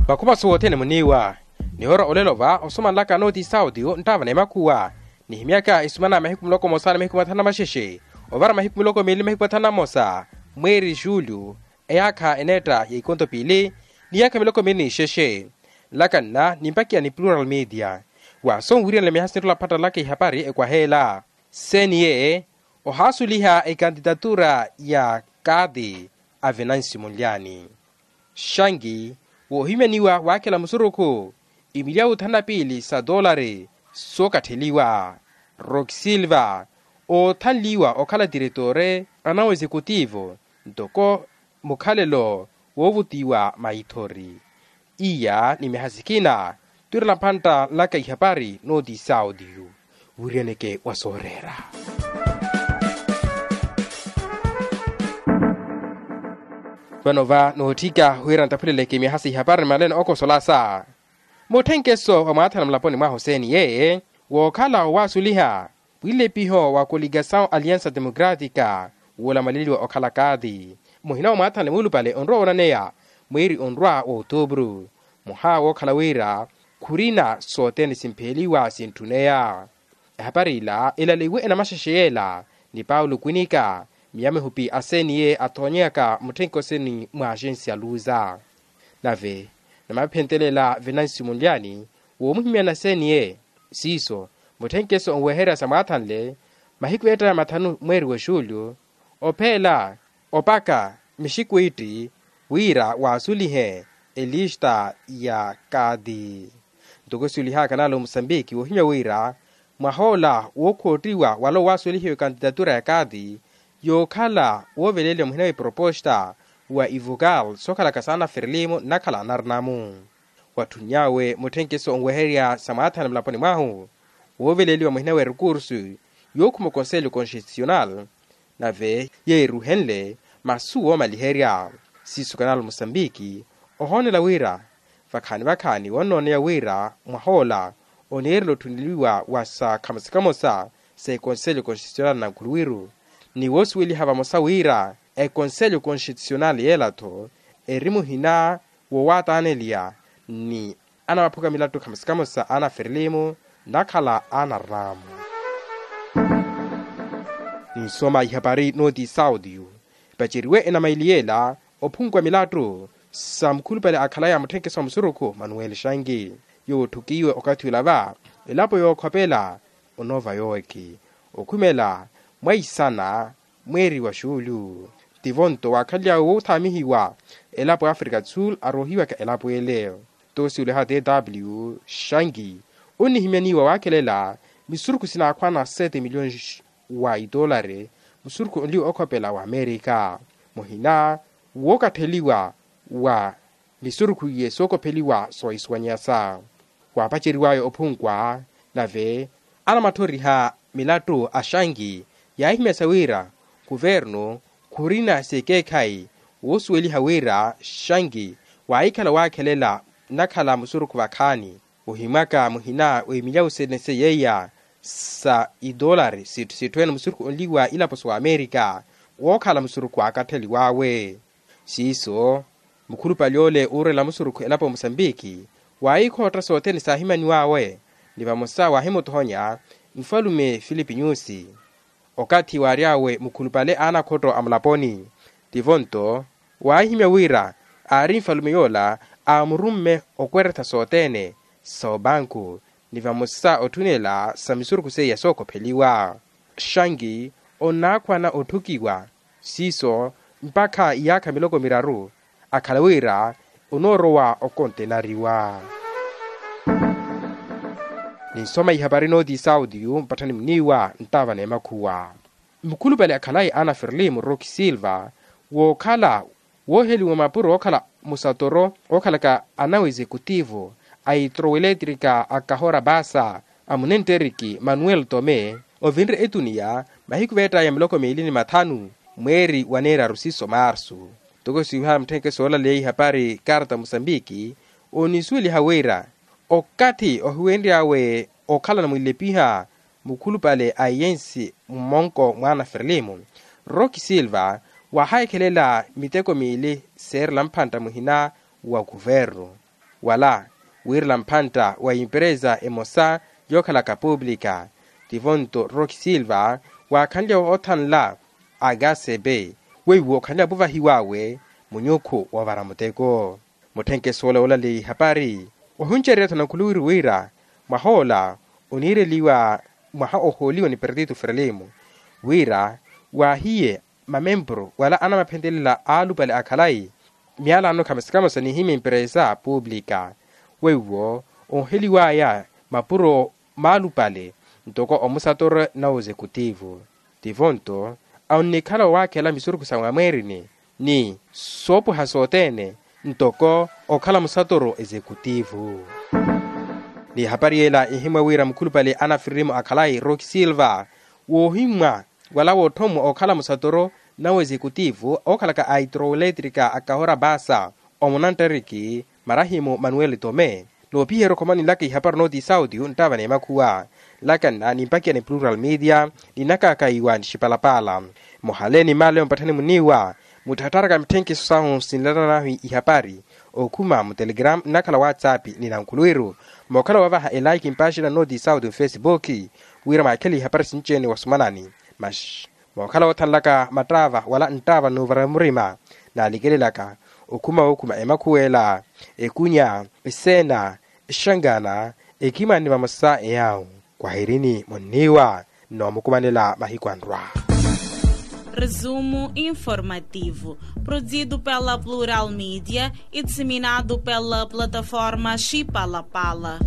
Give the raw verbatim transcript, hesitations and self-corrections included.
Vakhuvaso wothene muniiwa. Nihoora olelo va osomanlaka nooti sautiyu nttaava na emakhuwa, nihimyaka esumana mahiku muloko mosa ni mahiku mathanu na maxexe, ovara mahiku miloko miili ni mahiku mathanu na mosa, mweeri julio, eyaakha eneetta ya ikonto piili ni yaakha miloko miili ni ixexe. Nlaka nna nimpakiya ni plural media. Wa sonwiriyanela mihaha sinttula phatta nlaka ihapari ekwaheela. Seniye ohaasuliha ekantitatura ya kaati a venancio munlyani. Xangi woohimyaniwa waakhela musurukhu imilyawu thanu na piili sa toolari sookatheliwa. Rock silva oothanliwa okhala tiretore anawu exekutivo ntoko mukhalelo woovutiwa maithori. Iya ni miha sikina twirela mphantta nlaka ihapari nooti sautiyu. Wiriyaneke wa sooreera. Vano va nootthika wira nttaphuleleke miha sa ihapari ni maleno okosolasa. Mutthenkeso wa mwaathana mulaponi mwahu seniye wookhala owaasuliha mwilepiho wa koligasawu aliansa democratika woolamaleliwa okhala kaati muhina wa mwaathana ni muulupale onrowa woonaneya mweeri onrwa wa otuupuru. Muha wookhala wira khurina sothene simpheeliwa sintthuneya. Ehapari ila elaliwe enamaxexe yeela ni paulo kwinika miya mihupi a seniye athoonyeyaka mutthenkeso ni mwa axensi ya luza. Nave namaphentelela venancio munlyani woomuhimyana seniye siiso mutthenkeso onweherya sa mwaathanle mahiku eetta ya mathanu mweeri wa julio opheela opaka mixiku itti wira waasulihe elista ya kaati. Ntoko siulihaka nalo musambiki woohimya wira mwahoola wookhoottiwa wala owaasulihiwa ekantitatura ya kaati yookhala wooveleliwa muhina wa eproposta wa ivokal sookhalaka saana ferlimu nnakhala anarinamu. Watthunny'awe mutthenkeso onweherya sa mwaathana mulaponi mwahu wooveleliwa muhina wa erukursu yookhuma okonselho konstitisyonal. Nave yeeruhenle masu woomaliherya siiso kanalo musambiki ohoonela wira vakhaani vakhaani wonnooneya wira mwahoola oniirela otthuneliwa wa sa khamosa khamosa sa ekonselho konstitisyonal na nkhuluwiru ni woosuweliha vamosa wira ekonselho konstitisyonal yeela-tho eri muhina woowaataaneliya ni anamaphuka milattu khamosa khamosa ana ferlimu nnakhala ana raamu. Ninsoma ihapari nooti sautiyu epaceriwe enamaili yeela ophunkuwa milattu sa mukhulupale akhalaya mutthenkeso wa musurukhu manuweli xangi yoowo otthukiwe okathi ula va elapo yookhopela onova yooki okhumela mwaisana mweeri wa julio. Tivonto waakhanly'awe woothaamihiwa elapo ya afrika do sul aroohiwaka elapo ele. Tosiuliha tw xangi onnihimyaniwa waakhelela misurukhu sinaakhwana sete miliyoni wa itoolari musurukhu onliwa okhopela wa amerika muhina wookatheliwa wa misurukhu iye sookopheliwa soohisuwanyeyasa. Waapaceriw'aya ophunkuwa nave anamathoriha milattu a xangi yaahimyasa wira kuvernu khurina s'ekeekhayi woosuweliha wira xangi waahikhala waakhelela nnakhala musurukhu vakhaani ohimwaka muhina w'emilyawu sene seiya sa itoolari sitthu sitthu ene musurukhu onliwa ilapo sa wa amerika wookhala musurukhu waakatheliw'awe. Siiso mukhulupale ole uurela musurukhu elapo musambiki waahikhootta sothene saahimaniw'awe ni vamosa waahimutohonya nfalume filipi nyusi. Okathi waary'awe mukhulupale a anakhotto a mulaponi tivonto waahihimya wira aari nfalume yoola aamurumme okweretha sothene sa opanku ni vamosa otthunela sa misurukhu seiya sookopheliwa. Xangi onnaakhwana otthukiwa siiso mpakha iyaakha miloko miraru akhala wira onoorowa okontenariwa. Ninsoma ihapari nooti sautiyu mpatthani muniiwa nttaava n'emakhuwa. Mukhulupale akhalayi ana ferlimu roki silva wookhala wooheliwa mapuro ookhala musatoro ookhalaka anawu exekutivo a itrowelétrika a kahora pasa a munenteriki manuel tome ovinre etuniya mahiku veett'aya miloko miili ni mathanu mweeri wa neeraru siiso marsu. Ntoko siwihala mutthenkeso oolaleya ihapari karta musambiki onisuweliha wira okathi ohiwenry'awe okhala namwilepiha mukhulupale a iyensi mmonko mwaana ferlimu roki silva waahahikhelela miteko miili seerela mphantta muhina wa kuvernu. Wala wiirela mphantta wa emperesa emosa yookhalaka pupulika, tivonto roki silva, waakhanlya othanla a kcb, weiwo okhanlya puvahiwawe munyukhu woovara muteko. Mutthenkeso ola woolaleya ihapari, ohunceererya thanankhuluwiru wira mwahoola oniireliwa mwaha ohooliwa ni pertito frelimo, wira waahiye mamempuru wala anamaphentelela aalupale a khalayi myalano khamasikamosa nihimya emperesa pupulika, weiwo onheliwaya mapuro maalupale ntoko omusatoro na ozekutivu. Tivonto a onnikhala owaakhela misurukhu sa mwamweerini ni soopweha sothene ntoko okhala musatoro ezekutivu. Ni ehapari yela ihimwa wira mukhulupale anafiririmu a khalayi roki silva woohimwa wala wootthomwa okhala musatoro na wezekutivu ookhalaka a hitroletrika a kahora basa omunantariki marahimu manuel tome. Noopiherya okhomanilaka ihapari nooti sauti nttava n'emakhuwa lakanna nimpakiya ni plural media ninakakayiwa ni xipalapala. Muhale ni male mpatthani muniiwa mutthattharaka mitthenkiso sahu sinlatanahu ihapari okhuma mutelegram nnakhala whatsapp ni nankhuluwiru mookhala wavaha elaiki mpaxina nooti sauti mfesibuki wira mwaakhele ihapari sinci-ene wasumanani. Maxi mookhala woothanlaka mattraava wala nttaava nnuuvara murima naalikelelaka okhuma wookhuma emakhuwela ekunya eseena exangana ekimanni vamosa eyaawu. Kwahirini munniiwa nnoomukumanela mahiku anrwa. Resumo informativo produzido pela plural media e disseminado pela plataforma xipalapala.